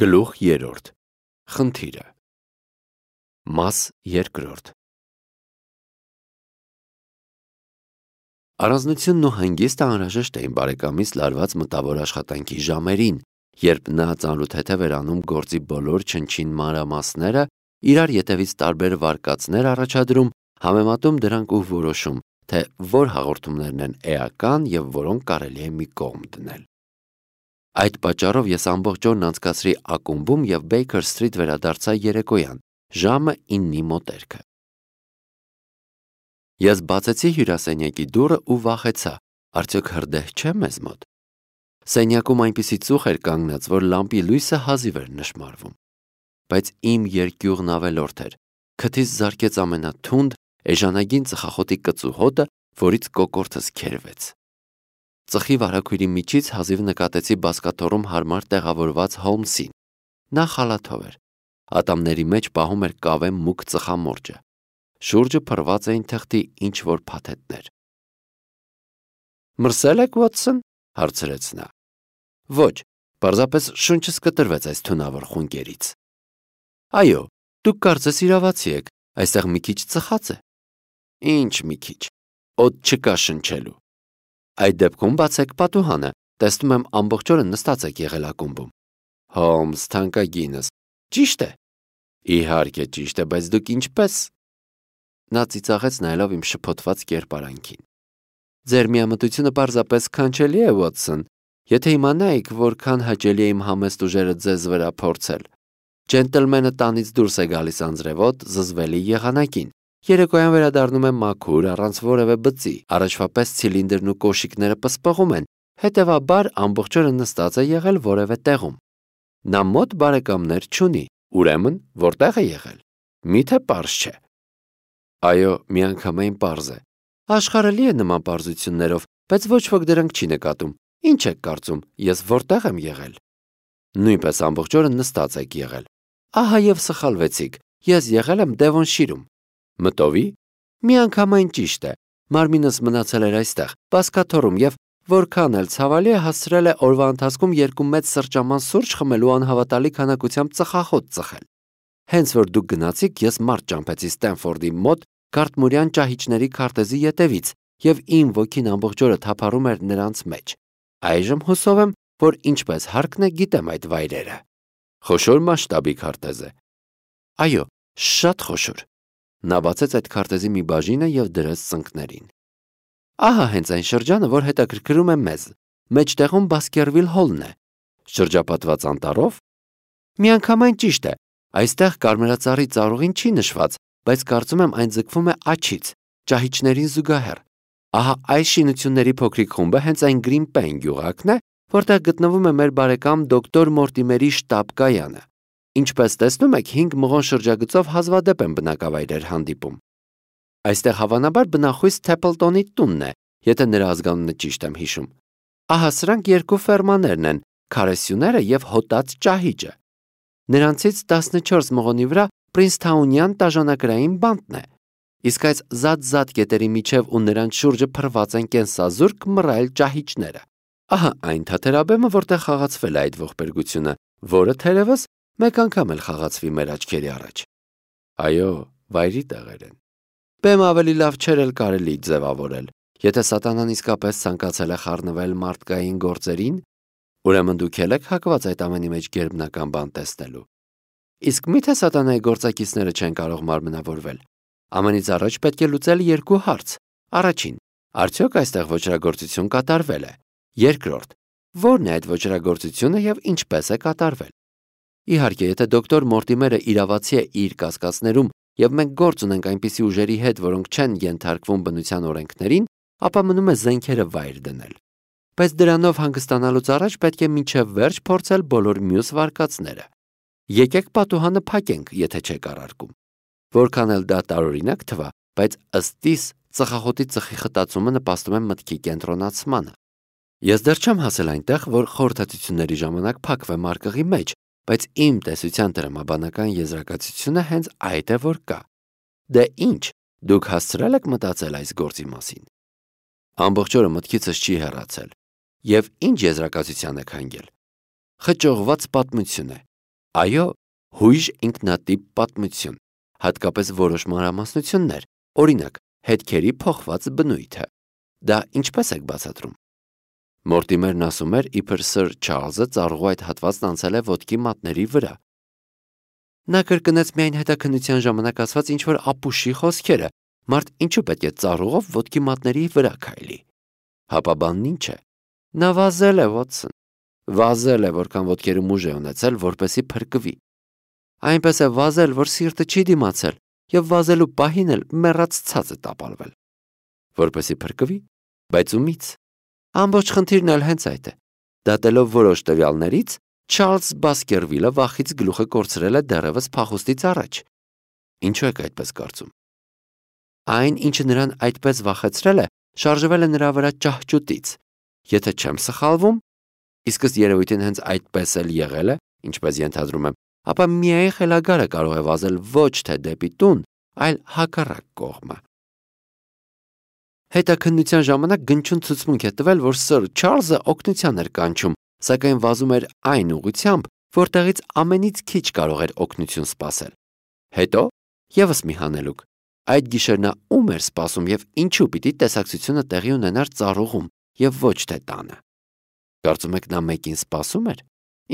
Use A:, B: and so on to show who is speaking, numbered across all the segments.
A: Գլուխ 3. Խնդիրը։ Մաս 2. Առանձնությունն ու հանգիստը անհրաժեշտ էին բարեկամից լարված մտավոր աշխատանքի ժամերին, երբ նա ծանրութեթև էր անում գործի բոլոր չնչին մանրամասները, իրար ետևից տարբեր վարկածներ առաջադրում, համեմատում դրանք ու որոշում, թե որ հաղորդումներն են էական և որոնք կարելի է մի կողմ դնել։ Այդ պատճառով ես ամբողջ օրն անցկացրի ակումբում և Baker Street վերադարձա երեկոյան, ժամը 9-ի մոտերքը։ Ես բացեցի հյուրասենյակի դուռը ու վախեցա, արդյոք հրդեհ չէ մեզ մոտ։ Սենյակում այնպիսի ծուխ էր կանգնած, որ լամպի լույսը հազիվ էր նշմարվում։ Բայց իմ երկյուղն ավելորդ էր, քթից զարկեց ամենաթունդ, էժանագին ծխախոտի կծու հոտը, որից կոկորդս քերվեց։ Ծխի վարագույրի միջից հազիվ նկատեցի բազկաթոռում հարմար տեղավորված Հոլմսին։ Նա խալաթով էր։ Ատամների մեջ պահում էր կավե մուգ ծխամորճը։ Շուրջը փռված էին թղթի ինչ-որ փաթեթներ։ «Մրսե՞լ եք, Վոթսոն», հարցրեց նա։ «Ոչ, պարզապես շունչս կտրվեց այս թունավոր խունկերից»։ «Այո, դուք կարծես իրավացի եք, այստեղ մի քիչ ծխած է»։ «Ինչ մի քիչ, օդ չկա շնչելու»։ «Այդ դեպքում բացեք պատուհանը, տեսնում եմ ամբողջ օրը նստած եք եղել ակումբում»։ «Հոլմս, թանկագինս, ճիշտ է»։ «Իհարկե ճիշտ է, բայց դուք ինչպես»։ Նա ծիծաղեց նայելով իմ շփոթված կերպարանքին։ «Ձեր միամտությունը պարզապես քանչելի է, Վոթսոն, եթե իմանայիք, որքան հաճելի է իմ համեստ ուժերը ձեզ վրա փորձել։ Ջենտլմենը տանից դուրս է գալիս անձրևոտ, զզվելի եղանակին, երեկոյան վերադառնում է մաքուր, առանց որևէ բծի, առաջվա պես ցիլինդրն ու կոշիկները պսպղում են, հետևաբար ամբողջ օրը նստած է եղել որևէ տեղում։ Նա մոտ բարեկամներ չունի, ուրեմն որտեղ է եղել։ Միթե պարզ չէ։ Այո, միանգամայն պարզ է։ Աշխարհը լի է նման պարզություններով, բայց ոչ ոք դրանք չի նկատում։ Ինչ եք կարծում, ես որտեղ եմ եղել։ Նույնպես ամբողջ օրը նստած եք եղել։ Ահա եւ սխալվեցիք, ես եղել եմ Դևոնշիրում։ Մտովի։ Միանգամայն ճիշտ է։ Մարմինս մնացել էր այստեղ, բազկաթոռում և որքան էլ ցավալի է, հասցրել է օրվա ընթացքում 2 մեծ սրճաման սուրճ խմելու անհավատալի քանակությամբ ծխախոտ ծխել։ Հենց որ դուք գնացիք, ես մարդ ճամփեցի Ստենֆորդի մոտ Գարտմուրյան ճահիճների քարտեզի ետևից, և իմ ոգին ամբողջ օրը թափառում էր նրանց մեջ։ Այժմ հուսով եմ, որ ինչպես հարկն է, գիտեմ այդ վայրերը։ Խոշոր մասշտաբի քարտեզ է։ Այո, շատ խոշոր։ Նա բացեց այդ քարտեզի մի բաժինը և դրեց ծնկներին։ Ահա հենց այն շրջանը, որ հետաքրքրում է մեզ։ Մեջտեղում Բասկերվիլ Հոլն է։ Շրջապատված անտառով։ Միանգամայն ճիշտ է։ Այստեղ կարմրածառի ծառուղին չի նշված, բայց կարծում եմ այն ձգվում է աջից, ճահիճներին զուգահեռ։ Ահա այս շինությունների փոքրիկ խումբը հենց այն Գրին Պեն գյուղակն է, որտեղ գտնվում է մեր բարեկամ դոկտոր Մորտիմերի շտաբ-կայանը։ Ինչպես տեսնում եք, 5 մղոն շրջագծով հազվադեպ են բնակավայրեր հանդիպում։ Այստեղ հավանաբար բնախույս Թեփլտոնի տունն է, եթե նրա ազգանունը ճիշտ եմ հիշում։ Ահա սրանք 2 ֆերմաներն են, քարեսյուները և հոտած ճահիճը։ Նրանցից 14 մղոնի վրա Պրինսթաունյան տաժանակրային բանտն է։ Իսկ այս զատ կետերի միջև ու նրանց շուրջը փռված են կենսազուրկ մռայլ ճահիճները։ Ահա այն թաթերաբեմը, որտեղ խաղացվել է այդ ողբերգությունը, որը թերևս մեկ անգամ էլ խաղացվի մեր աչքերի առաջ։ Այո, վայրի տեղեր են։ Բեմը ավելի լավ չէր էլ կարելի ձևավորել։ Եթե սատանան իսկապես ցանկացել է խառնվել մարդկային գործերին, ուրեմն դուք եք հակված այդ ամենի մեջ գերբնական բան տեսնելու։ Իսկ միթե սատանայի գործակիցները չեն կարող մարմնավորվել։ Ամենից առաջ պետք է լուծել 2 հարց։ Առաջին, արդյոք այստեղ ոճրագործություն կատարվել է։ Երկրորդ, ո՞րն է այդ ոճրագործությունը և ինչպես է կատարվել։ Իհարկե, եթե դոկտոր Մորտիմերը իրավացի է իր կասկածներում, և մենք գործ ունենք այնպիսի ուժերի հետ, որոնք չեն ենթարկվում բնության օրենքներին, ապա մնում է զենքերը վայր դնել։ Բայց դրանով հանգստանալուց առաջ պետք է մինչև վերջ փորձել բոլոր մյուս վարկածները։ Եկեք պատուհանը փակենք, եթե չեք առարկում։ Որքան էլ դա տարօրինակ թվա, բայց ըստ իս ծխախոտի ծխի խտացումը նպաստում է մտքի կենտրոնացմանը։ Ես դեռ չեմ հասել այնտեղ, որ խորհրդատվությունների ժամանակ փակվեմ արկղի մեջ, բայց իմ տեսության տրամաբանական եզրակացությունը հենց այդ է, որ կա։ Դե ինչ, դուք հասցրել եք մտածել այս գործի մասին։ Ամբողջ օրը մտքիցս չի հեռացել։ Եվ ինչ եզրակացության եք հանգել։ Խճողված պատմություն է։ Այո, հույժ ինքնատիպ պատմություն, հատկապես որոշ մանրամասնություններ, օրինակ, հետքերի փոխված բնույթը։ Դա ինչպես եք բացատրում։ Մորտիմերն ասում էր, իբր Սր Չարլզը ծառուղու այդ հատվածն անցել է ոտքի մատների վրա։ Նա կրկնեց միայն հետաքննության ժամանակ ասված ինչ-որ ապուշի խոսքերը, մարդ ինչու պետք է ծառուղով ոտքի մատների վրա քայլի։ Հապա բանն ինչ է։ Նա վազել է, Վոտսոն, վազել է, որքան ոտքերը ուժ է ունեցել, որպեսի փրկվի։ Այնպես է վազել, որ սիրտը չի դիմացել, եւ վազելու պահին էլ մեռած ցած է տապալվել։ Որպեսի փրկվի, բայց ումից։ Ամբողջ խնդիրն էլ հենց այդ է։ Դատելով որոշ տվյալներից, Չարլզ Բասկերվիլը վախից գլուխը կորցրել է դեռևս փախուստից առաջ։ Ինչու եք այդպես կարծում։ Այն, ինչը նրան այդպես վախեցրել է, շարժվել է նրա վրա ճահճուտից։ Եթե չեմ սխալվում, իսկ ըստ երևույթին հենց այդպես էլ եղել է, ինչպես ենթադրում եմ, ապա միայն խելագարը կարող է վազել ոչ թե դեպի տուն, այլ հակառակ կողմը։ Հետաքննության ժամանակ գնչուն ցուցմունք է տվել, որ Սր Չարլզը օգնության էր կանչում, սակայն վազում էր այն ուղղությամբ, որտեղից ամենից քիչ կարող էր օգնություն սպասել։ Հետո եւս մի հանելուկ։ Այդ գիշեր նա ում էր սպասում եւ ինչու պիտի տեսակցությունը տեղի ունենար ծառուղում եւ ոչ թե տանը։ Կարծում եք նա մեկին սպասում էր։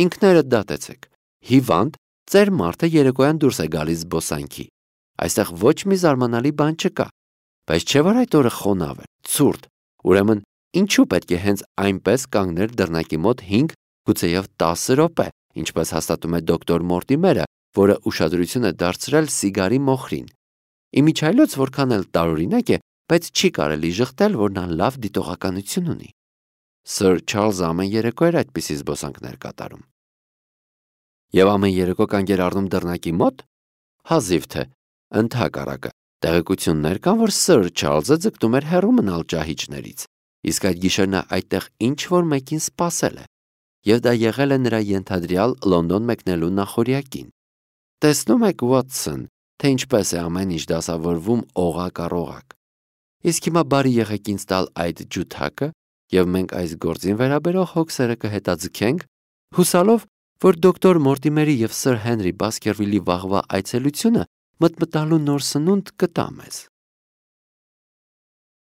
A: Ինքներդ դատեցեք։ Հիվանդ, ծեր մարդը երեկոյան դուրս է գալիս զբոսանքի։ Այստեղ ոչ մի զարմանալի բան չկա։ Բայց չէ՞ որ այդ օրը խոնավ էր, ցուրտ։ Ուրեմն ինչու պետք է հենց այնպես կանգներ դռնակի մոտ 5, գուցեև 10 րոպե, ինչպես հաստատում է դոկտոր Մորտիմերը, որը ուշադրություն է դարձրել սիգարի մոխրին։ Իմիջայլոց որքան էլ տարօրինակ է, բայց չի կարելի ժխտել, որ նա լավ դիտողականություն ունի։ Սր Չարլզը ամեն երեկո էր այդպիսի զբոսանքներ կատարում։ Եվ ամեն երեկո կանգ էր առնում դռնակի մոտ։ Հազիվ թե, ընդհակառակը, տեղեկություններ կան, որ Սր Չարլզը ձգտում էր հեռու մնալ ճահիճներից, իսկ այդ գիշեր նա այդտեղ ինչ-որ մեկին սպասել է, եւ դա եղել է նրա ենթադրյալ Լոնդոն մեկնելու նախօրյակին։ Տեսնում եք, Վոտսոն, թե ինչպես է ամեն ինչ դասավորվում օղակ առ օղակ։ Իսկ հիմա բարի եղեք ինձ տալ այդ ջութակը, եւ մենք այս գործին վերաբերող հոգսերը կհետաձգենք, հուսալով, որ դոկտոր Մորտիմերի եւ Սր Հենրի Բասկերվիլի վաղվա այցելությունը մտմտալու նոր սնունդ կտա մեզ։